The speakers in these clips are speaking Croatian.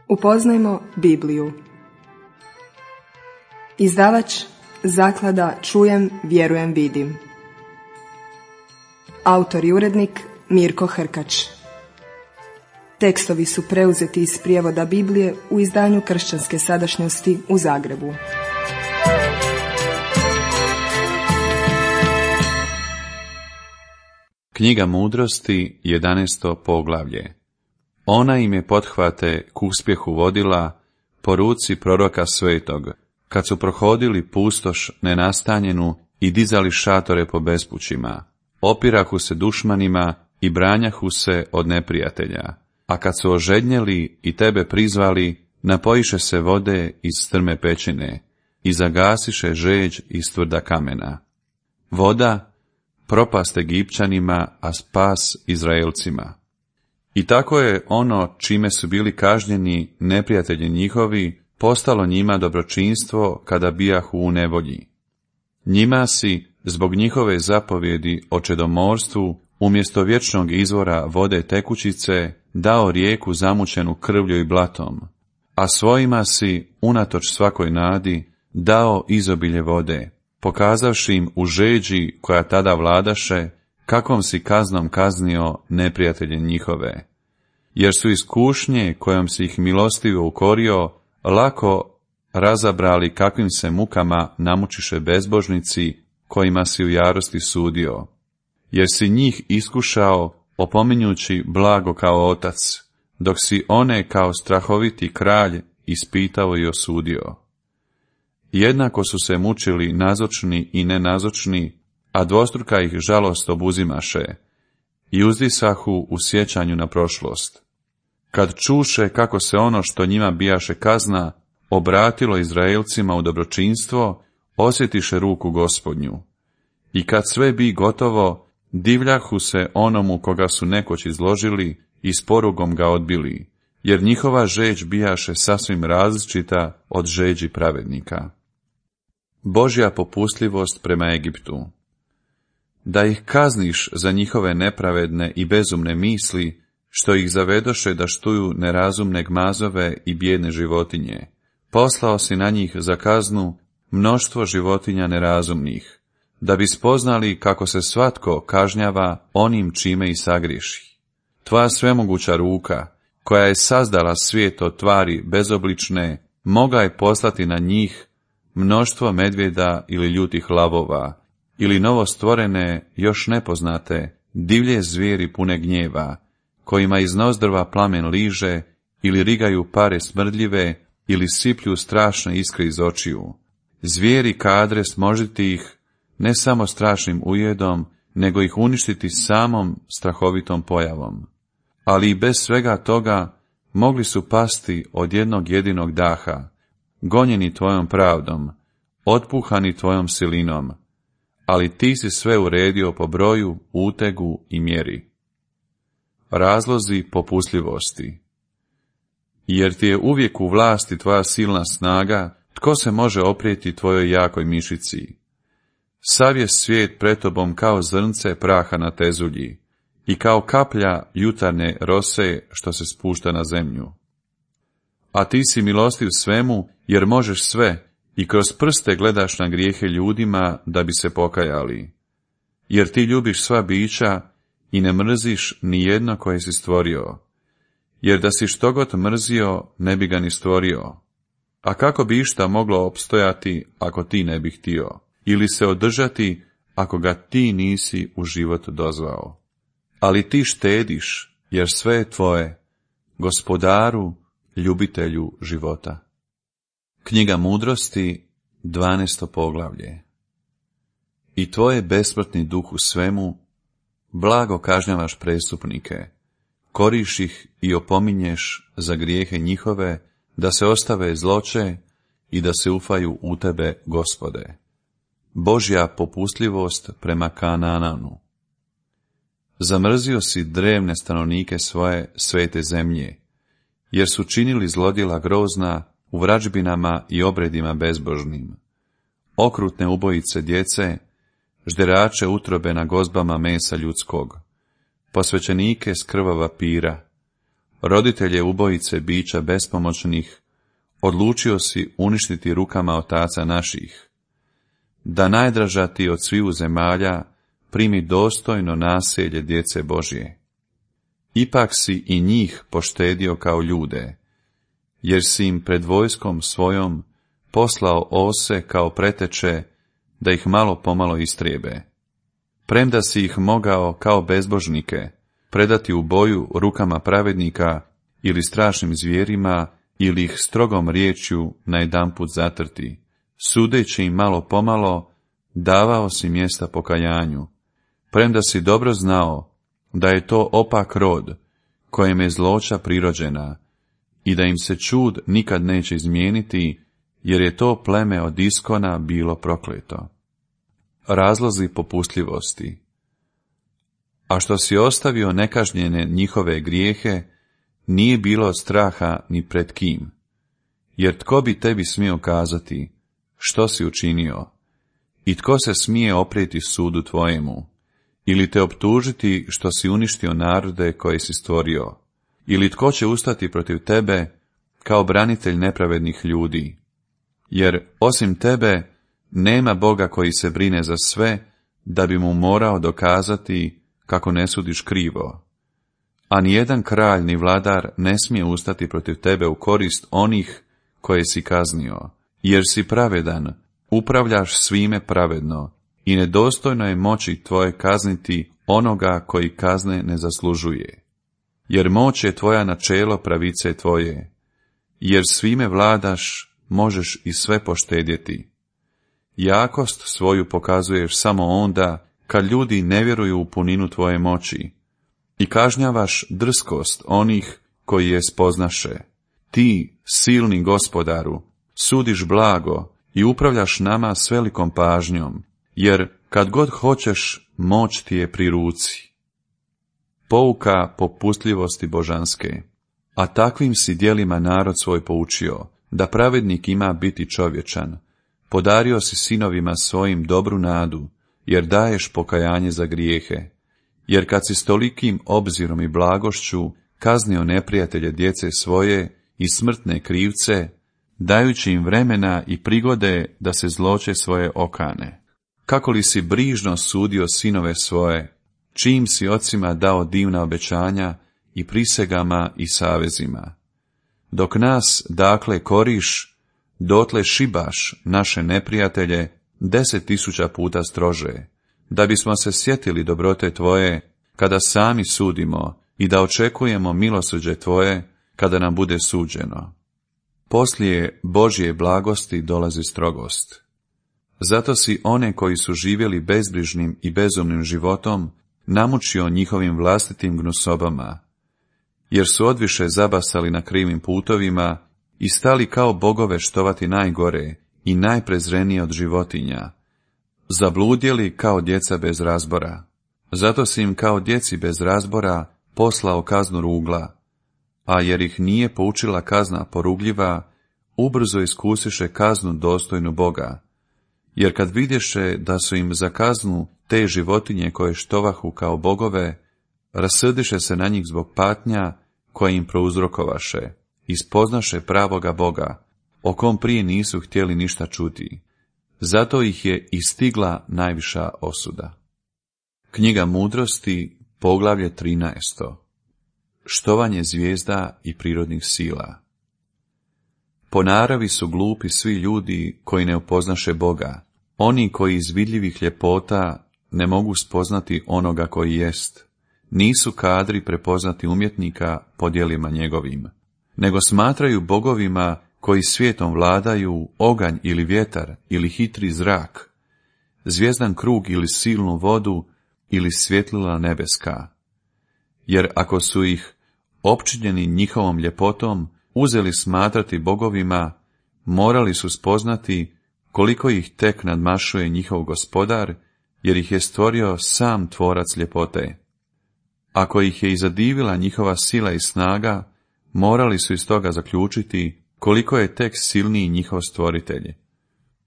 Upoznajmo Bibliju. Izdavač Zaklada Čujem, vjerujem, vidim. Autor i urednik Mirko Hrkač. Tekstovi su preuzeti iz prijevoda Biblije u izdanju Kršćanske sadašnjosti u Zagrebu. Knjiga Mudrosti, 11. poglavlje. Ona im je pothvate k uspjehu vodila po ruci proroka svetog, kad su prohodili pustoš nenastanjenu i dizali šatore po bespućima, opirahu se dušmanima i branjahu se od neprijatelja. A kad su ožednjeli i tebe prizvali, napojiše se vode iz strme pećine i zagasiše žeđ iz tvrda kamena. Voda, propast Egipćanima, a spas Izraelcima. I tako je ono čime su bili kažnjeni neprijatelji njihovi postalo njima dobročinstvo kada bijahu u nevolji. Njima si, zbog njihove zapovjedi o čedomorstvu, umjesto vječnog izvora vode tekućice, dao rijeku zamućenu krvlju i blatom, a svojima si, unatoč svakoj nadi, dao izobilje vode, pokazavši im u žeđi koja tada vladaše, kakvom si kaznom kaznio neprijatelje njihove. Jer su iz kušnje, kojom si ih milostivo ukorio, lako razabrali kakvim se mukama namučiše bezbožnici, kojima si u jarosti sudio. Jer si njih iskušao, opominjući blago kao otac, dok si one kao strahoviti kralj ispitao i osudio. Jednako su se mučili nazočni i nenazočni, a dvostruka ih žalost obuzimaše, i uzdisahu u sjećanju na prošlost. Kad čuše kako se ono što njima bijaše kazna obratilo Izraelcima u dobročinstvo, osjetiše ruku Gospodnju. I kad sve bi gotovo, divljahu se onomu koga su nekoć izložili i s porugom ga odbili, jer njihova žeđ bijaše sasvim različita od žeđi pravednika. Božja popustljivost prema Egiptu. Da ih kazniš za njihove nepravedne i bezumne misli, što ih zavedoše da štuju nerazumne gmazove i bijedne životinje. Poslao si na njih za kaznu mnoštvo životinja nerazumnih, da bi spoznali kako se svatko kažnjava onim čime i sagriješi. Tvoja svemoguća ruka, koja je sazdala svijet od tvari bezoblične, mogla je poslati na njih mnoštvo medvjeda ili ljutih lavova, ili novostvorene, još nepoznate, divlje zvijeri pune gnjeva, kojima iz nozdrva plamen liže, ili rigaju pare smrdljive, ili siplju strašne iskre iz očiju. Zvijeri kadre smožiti ih, ne samo strašnim ujedom, nego ih uništiti samom strahovitom pojavom. Ali i bez svega toga mogli su pasti od jednog jedinog daha, gonjeni tvojom pravdom, otpuhani tvojom silinom, ali ti si sve uredio po broju, utegu i mjeri. Razlozi popustljivosti. Jer ti je uvijek u vlasti tvoja silna snaga, tko se može oprijeti tvojoj jakoj mišici? Sav je svijet pred tobom kao zrnce praha na tezulji i kao kaplja jutarnje rose što se spušta na zemlju. A ti si milostiv svemu, jer možeš sve i kroz prste gledaš na grijehe ljudima da bi se pokajali. Jer ti ljubiš sva bića i ne mrziš ni jedno koje si stvorio. Jer da si štogod mrzio, ne bi ga ni stvorio. A kako bi išta moglo opstojati ako ti ne bi htio, ili se održati ako ga ti nisi u život dozvao. Ali ti štediš, jer sve je tvoje, Gospodaru, ljubitelju života. Knjiga Mudrosti, 12. poglavlje. I tvoje besmrtni duh u svemu, blago kažnjavaš prestupnike, koriš ih i opominješ za grijehe njihove, da se ostave zloče i da se ufaju u tebe, Gospode. Božja popustljivost prema Kanaanu. Zamrzio si drevne stanovnike svoje svete zemlje, jer su činili zlodjela grozna u vražbinama i obredima bezbožnim. Okrutne ubojice djece, žderače utrobe na gozbama mesa ljudskog, posvećenike s krvava pira, roditelje ubojice bića bespomoćnih, odlučio si uništiti rukama otaca naših, da najdraža ti od sviju zemalja primi dostojno naselje djece Božje. Ipak si i njih poštedio kao ljude, jer si im pred vojskom svojom poslao ose kao preteče, da ih malo pomalo istrijebe. Premda si ih mogao kao bezbožnike predati u boju rukama pravednika ili strašnim zvijerima, ili ih strogom riječju najedanput zatrti, sudeći im malo pomalo, davao si mjesta pokajanju, premda si dobro znao da je to opak rod, kojem je zloća prirođena, i da im se čud nikad neće izmijeniti, jer je to pleme od iskona bilo prokleto. Razlozi popustljivosti. A što si ostavio nekažnjene njihove grijehe, nije bilo straha ni pred kim, jer tko bi tebi smio kazati što si učinio, i tko se smije oprijeti sudu tvojemu, ili te optužiti što si uništio narode koje si stvorio, ili tko će ustati protiv tebe kao branitelj nepravednih ljudi, jer osim tebe nema Boga koji se brine za sve, da bi mu morao dokazati kako ne sudiš krivo. A nijedan kralj ni vladar ne smije ustati protiv tebe u korist onih koje si kaznio, jer si pravedan, upravljaš svime pravedno, i nedostojno je moći tvoje kazniti onoga koji kazne ne zaslužuje. Jer moć je tvoja načelo pravice tvoje, jer svime vladaš, možeš i sve poštedjeti. Jakost svoju pokazuješ samo onda, kad ljudi ne vjeruju u puninu tvoje moći, i kažnjavaš drskost onih koji je spoznaše. Ti, silni Gospodaru, sudiš blago i upravljaš nama s velikom pažnjom, jer kad god hoćeš, moć ti je pri ruci. Pouka popustljivosti božanske. A takvim si djelima narod svoj poučio, da pravednik ima biti čovječan. Podario si sinovima svojim dobru nadu, jer daješ pokajanje za grijehe. Jer kad si s tolikim obzirom i blagošću kaznio neprijatelje djece svoje i smrtne krivce, dajući im vremena i prigode da se zloće svoje okane. Kako li si brižno sudio sinove svoje, čim si ocima dao divna obećanja i prisegama i savezima. Dok nas, dakle, koriš, dotle šibaš naše neprijatelje 10.000 puta strože, da bismo se sjetili dobrote tvoje, kada sami sudimo, i da očekujemo milosrđe tvoje, kada nam bude suđeno. Poslije Božje blagosti dolazi strogost. Zato si one koji su živjeli bezbrižnim i bezumnim životom namučio njihovim vlastitim gnusobama, jer su odviše zabasali na krivim putovima i stali kao bogove štovati najgore i najprezrenije od životinja, zabludjeli kao djeca bez razbora. Zato si im kao djeci bez razbora poslao kaznu rugla, a jer ih nije poučila kazna porugljiva, ubrzo iskusiše kaznu dostojnu Boga, jer kad vidješe da su im za kaznu te životinje koje štovahu kao bogove, rasrdiše se na njih zbog patnja koje im prouzrokovaše, i spoznaše pravoga Boga, o kom prije nisu htjeli ništa čuti. Zato ih je i stigla najviša osuda. Knjiga Mudrosti, poglavlje 13. Štovanje zvijezda i prirodnih sila. Po naravi su glupi svi ljudi koji ne upoznaše Boga, oni koji iz vidljivih ljepota ne mogu spoznati onoga koji jest, nisu kadri prepoznati umjetnika po djelima njegovim, nego smatraju bogovima koji svijetom vladaju oganj ili vjetar ili hitri zrak, zvijezdan krug ili silnu vodu ili svjetlila nebeska. Jer ako su ih, opčinjeni njihovom ljepotom, uzeli smatrati bogovima, morali su spoznati koliko ih tek nadmašuje njihov Gospodar, jer ih je stvorio sam tvorac ljepote. Ako ih je i zadivila njihova sila i snaga, morali su iz toga zaključiti koliko je tek silniji njihov stvoritelj.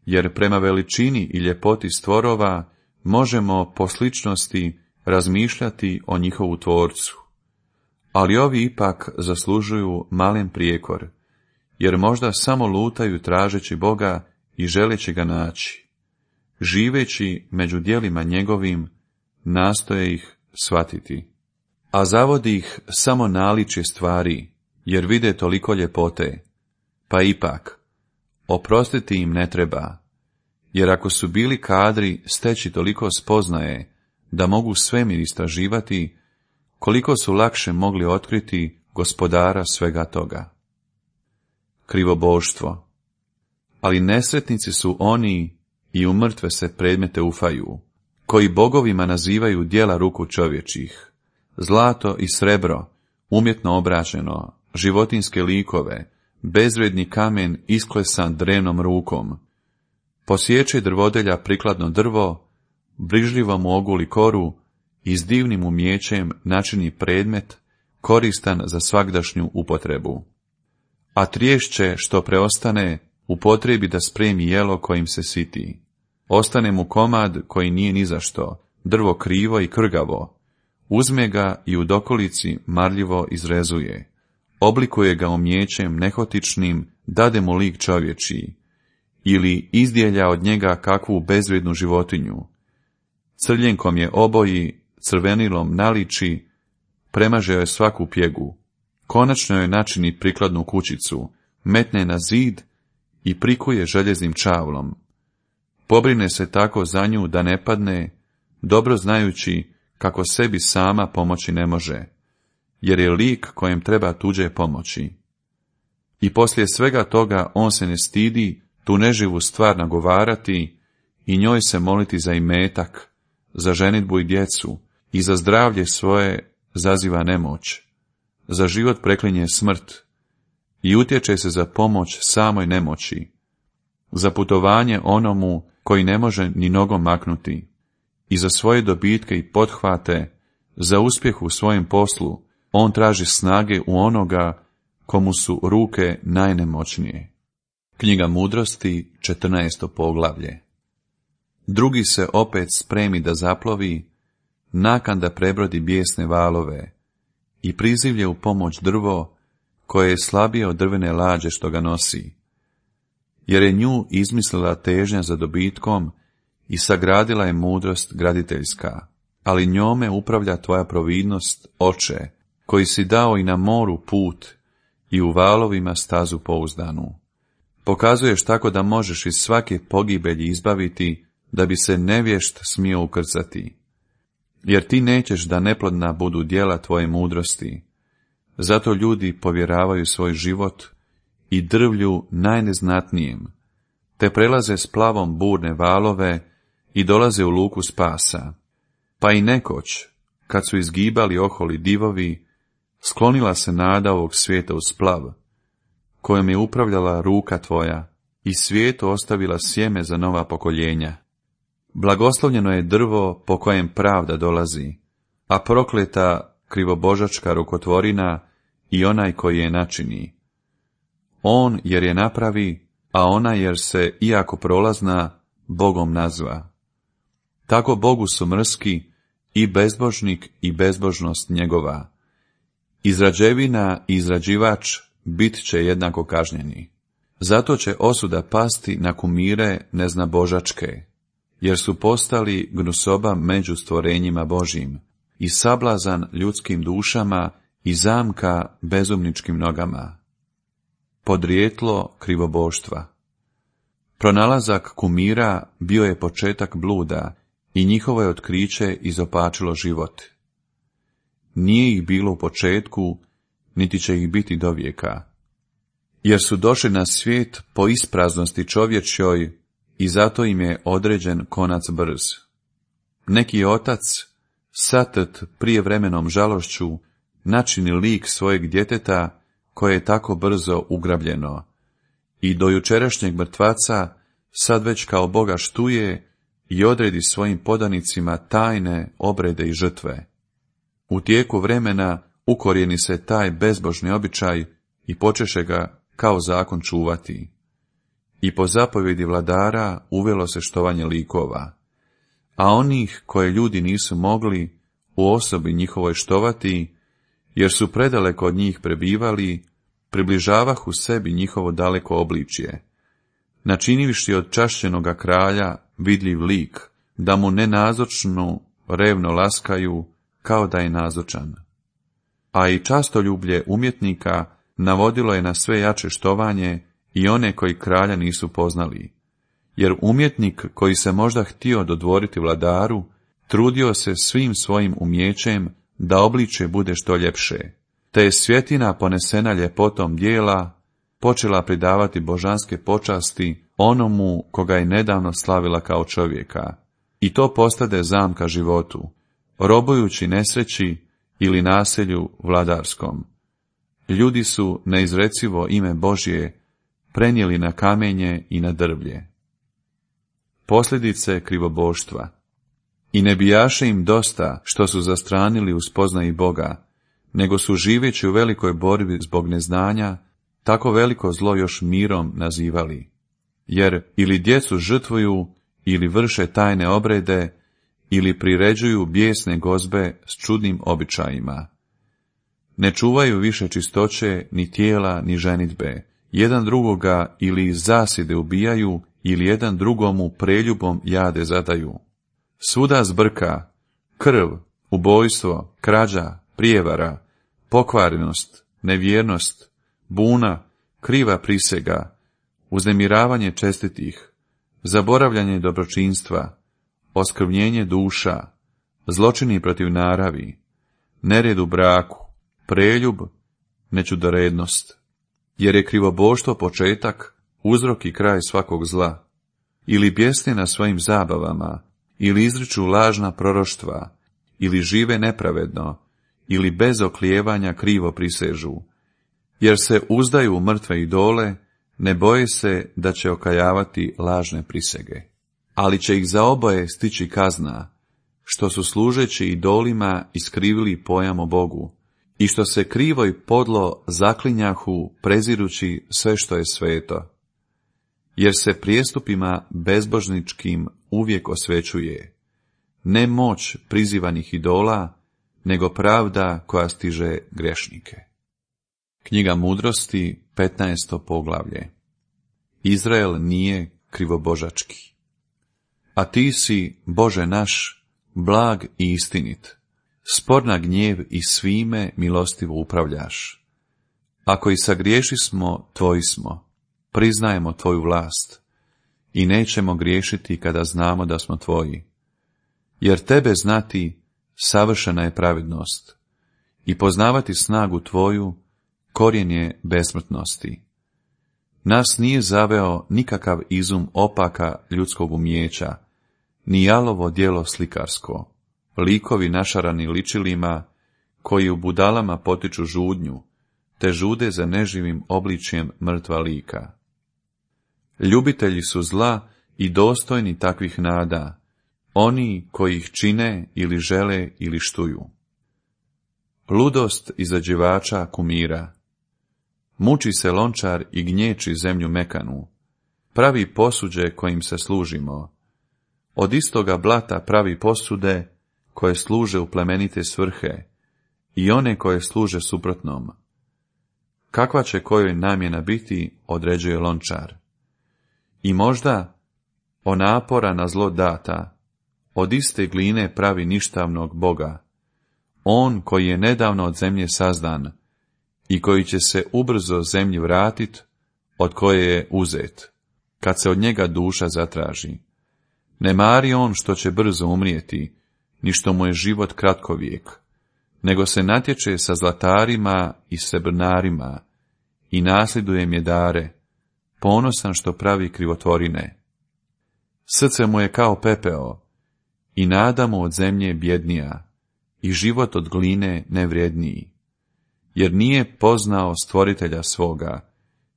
Jer prema veličini i ljepoti stvorova možemo po sličnosti razmišljati o njihovu tvorcu. ali ovi ipak zaslužuju malen prijekor, jer možda samo lutaju tražeći Boga i želeći ga naći. Živeći među djelima njegovim, nastoje ih shvatiti. A zavodi ih samo naličje stvari, jer vide toliko ljepote. Pa ipak, oprostiti im ne treba, jer ako su bili kadri steći toliko spoznaje da mogu svemir istraživati, koliko su lakše mogli otkriti gospodara svega toga. Krivoboštvo. Ali nesretnici su oni i u mrtve se predmete ufaju, koji bogovima nazivaju djela ruku čovječih, zlato i srebro, umjetno obrađeno, životinske likove, bezvredni kamen isklesan drevnom rukom. Posječe drvodelja prikladno drvo, brižljivo mu oguli koru i s divnim umijećem načini predmet koristan za svagdašnju upotrebu. A triješće što preostane upotrebi da spremi jelo kojim se siti. Ostane mu komad koji nije ni za što, drvo krivo i krgavo. Uzme ga i u dokolici marljivo izrezuje. Oblikuje ga umijećem nehotičnim, dade mu lik čovječiji. Ili izdjelja od njega kakvu bezvrednu životinju. Crljenkom je oboji, crvenilom naliči, premaže joj svaku pjegu. Konačno joj načini prikladnu kućicu, metne na zid i prikuje željeznim čavlom. Pobrine se tako za nju da ne padne, dobro znajući kako sebi sama pomoći ne može, jer je lik kojem treba tuđe pomoći. I poslije svega toga on se ne stidi tu neživu stvar nagovarati i njoj se moliti za imetak, za ženidbu i djecu, i za zdravlje svoje zaziva nemoć, za život preklinje smrt i utječe se za pomoć samoj nemoći, za putovanje onomu koji ne može ni nogom maknuti, i za svoje dobitke i pothvate, za uspjeh u svojem poslu, on traži snage u onoga komu su ruke najnemoćnije. Knjiga Mudrosti, 14. poglavlje. Drugi se opet spremi da zaplovi, nakan da prebrodi bijesne valove, i prizivlje u pomoć drvo, koje je slabije od drvene lađe što ga nosi, jer je nju izmislila težnja za dobitkom i sagradila je mudrost graditeljska, ali njome upravlja tvoja providnost, Oče, koji si dao i na moru put i u valovima stazu pouzdanu. Pokazuješ tako da možeš iz svake pogibelji izbaviti, da bi se nevješt smio ukrcati. Jer ti nećeš da neplodna budu djela tvoje mudrosti. Zato ljudi povjeravaju svoj život i drvlju najneznatnijem, te prelaze s plavom burne valove i dolaze u luku spasa. Pa i nekoć, kad su izgibali oholi divovi, sklonila se nada ovog svijeta u splav, kojom je upravljala ruka tvoja, i svijetu ostavila sjeme za nova pokoljenja. Blagoslovljeno je drvo po kojem pravda dolazi, a prokleta krivobožačka rukotvorina i onaj koji je načini. On jer je napravi, a ona jer se, iako prolazna, Bogom nazva. Tako Bogu su mrski i bezbožnik i bezbožnost njegova. Izrađevina i izrađivač bit će jednako kažnjeni. Zato će osuda pasti na kumire neznabožačke, jer su postali gnusoba među stvorenjima Božjim i sablazan ljudskim dušama i zamka bezumničkim nogama. Podrijetlo krivoboštva. Pronalazak kumira bio je početak bluda i njihovo je otkriće izopačilo život. Nije ih bilo u početku, niti će ih biti do vijeka, jer su došli na svijet po ispraznosti čovječjoj i zato im je određen konac brz. Neki otac, satrt prijevremenom žalošću, načini lik svojeg djeteta koje je tako brzo ugrabljeno, i do jučerašnjeg mrtvaca sad već kao Boga štuje i odredi svojim podanicima tajne obrede i žrtve. U tijeku vremena ukorijeni se taj bezbožni običaj i počeše ga kao zakon čuvati. I po zapovjedi vladara uvelo se štovanje likova, a onih koje ljudi nisu mogli u osobi njihovoj štovati, jer su predaleko od njih prebivali, približavahu sebi njihovo daleko obličje, načinivši od čašćenoga kralja vidljiv lik, da mu nenazočnu revno laskaju, kao da je nazočan. A i častoljublje umjetnika navodilo je na sve jače štovanje i one koji kralja nisu poznali, jer umjetnik koji se možda htio dodvoriti vladaru, trudio se svim svojim umijećem da obličje bude što ljepše, te je svjetina ponesena ljepotom dijela počela pridavati božanske počasti onomu koga je nedavno slavila kao čovjeka, i to postade zamka životu, robujući nesreći ili naselju vladarskom. Ljudi su neizrecivo ime Božje prenijeli na kamenje i na drvlje. Posljedice krivoboštva. I ne bijaše im dosta što su zastranili u spoznaji Boga, nego su živeći u velikoj borbi zbog neznanja, tako veliko zlo još mirom nazivali. Jer ili djecu žrtvuju, ili vrše tajne obrede, ili priređuju bijesne gozbe s čudnim običajima. Ne čuvaju više čistoće, ni tijela, ni ženidbe. Jedan drugoga ili iz zasjede ubijaju, ili jedan drugomu preljubom jade zadaju. Svuda zbrka, krv, ubojstvo, krađa, prijevara, pokvarenost, nevjernost, buna, kriva prisega, uznemiravanje čestitih, zaboravljanje dobročinstva, oskrvnjenje duša, zločini protiv naravi, nered u braku, preljub, nečudorednost, jer je krivoboštvo početak, uzrok i kraj svakog zla, ili bjesne na svojim zabavama, ili izriču lažna proroštva, ili žive nepravedno, ili bez oklijevanja krivo prisežu, jer se uzdaju u mrtve idole, ne boje se da će okajavati lažne prisege. Ali će ih za oboje stići kazna, što su služeći idolima iskrivili pojam o Bogu, i što se krivo i podlo zaklinjahu prezirući sve što je sveto. Jer se prijestupima bezbožničkim uvijek osvećuje, ne moć prizivanih idola, nego pravda koja stiže grešnike. Knjiga Mudrosti, 15. poglavlje. Izrael nije krivobožački. A ti si, Bože naš, blag i istinit, spor na gnjev i svime milostivo upravljaš. Ako i sagrješismo, tvoji smo, priznajemo tvoju vlast i nećemo griješiti kada znamo da smo tvoji. Jer tebe znati, savršena je pravednost, i poznavati snagu tvoju, korijen je besmrtnosti. Nas nije zaveo nikakav izum opaka ljudskog umijeća, ni jalovo djelo slikarsko, likovi našarani ličilima, koji u budalama potiču žudnju, te žude za neživim obličjem mrtva lika. Ljubitelji su zla i dostojni takvih nada, oni koji ih čine ili žele ili štuju. Ludost izađivača kumira. Muči se lončar i gnječi zemlju mekanu, pravi posuđe kojim se služimo. Od istoga blata pravi posude koje služe u plemenite svrhe i one koje služe suprotnom. Kakva će kojoj namjena biti, određuje lončar. I možda, o napora na zlo data, od iste gline pravi ništavnog Boga, on koji je nedavno od zemlje sazdan i koji će se ubrzo zemlji vratit, od koje je uzet, kad se od njega duša zatraži. Ne mari on što će brzo umrijeti, ni što mu je život kratkovijek, nego se natječe sa zlatarima i srebrnarima i nasljeduje mjedare, ponosan što pravi krivotvorine. Srce mu je kao pepeo, i nada mu od zemlje bjednija, i život od gline nevrijedniji, jer nije poznao stvoritelja svoga,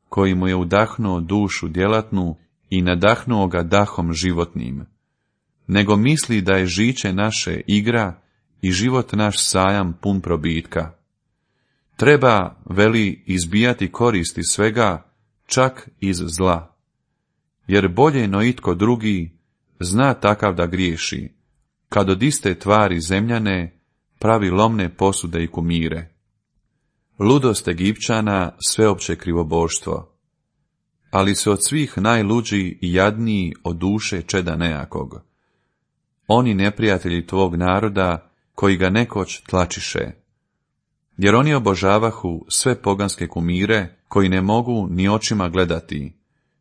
koji mu je udahnuo dušu djelatnu i nadahnuo ga dahom životnim, nego misli da je žiće naše igra i život naš sajam pun probitka. Treba, veli, izbijati koristi svega, čak iz zla, jer bolje no itko drugi zna takav da griješi, kad od iste tvari zemljane pravi lomne posude i kumire. ludost Egipćana sveopće krivoboštvo, ali su od svih najluđi i jadniji od duše čeda nejakog. Oni neprijatelji tvog naroda, koji ga nekoć tlačiše, jer oni obožavahu sve poganske kumire, koji ne mogu ni očima gledati,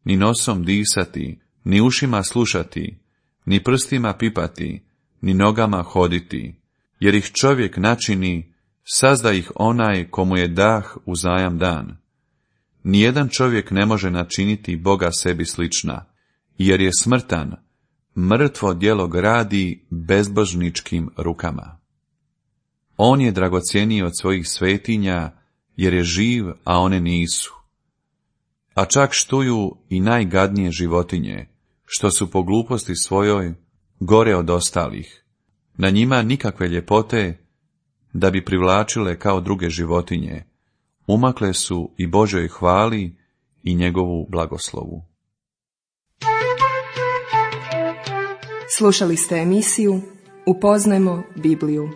ni nosom disati, ni ušima slušati, ni prstima pipati, ni nogama hoditi, jer ih čovjek načini, sazda ih onaj komu je dah uzajam dan. Nijedan čovjek ne može načiniti Boga sebi slična, jer je smrtan, mrtvo djelo gradi bezbožničkim rukama. On je dragocjeniji od svojih svetinja, jer je živ, a one nisu. A čak štuju i najgadnije životinje, što su po gluposti svojoj gore od ostalih. Na njima nikakve ljepote, da bi privlačile kao druge životinje, umakle su i Božoj hvali i njegovu blagoslovu. Slušali ste emisiju Upoznajmo Bibliju.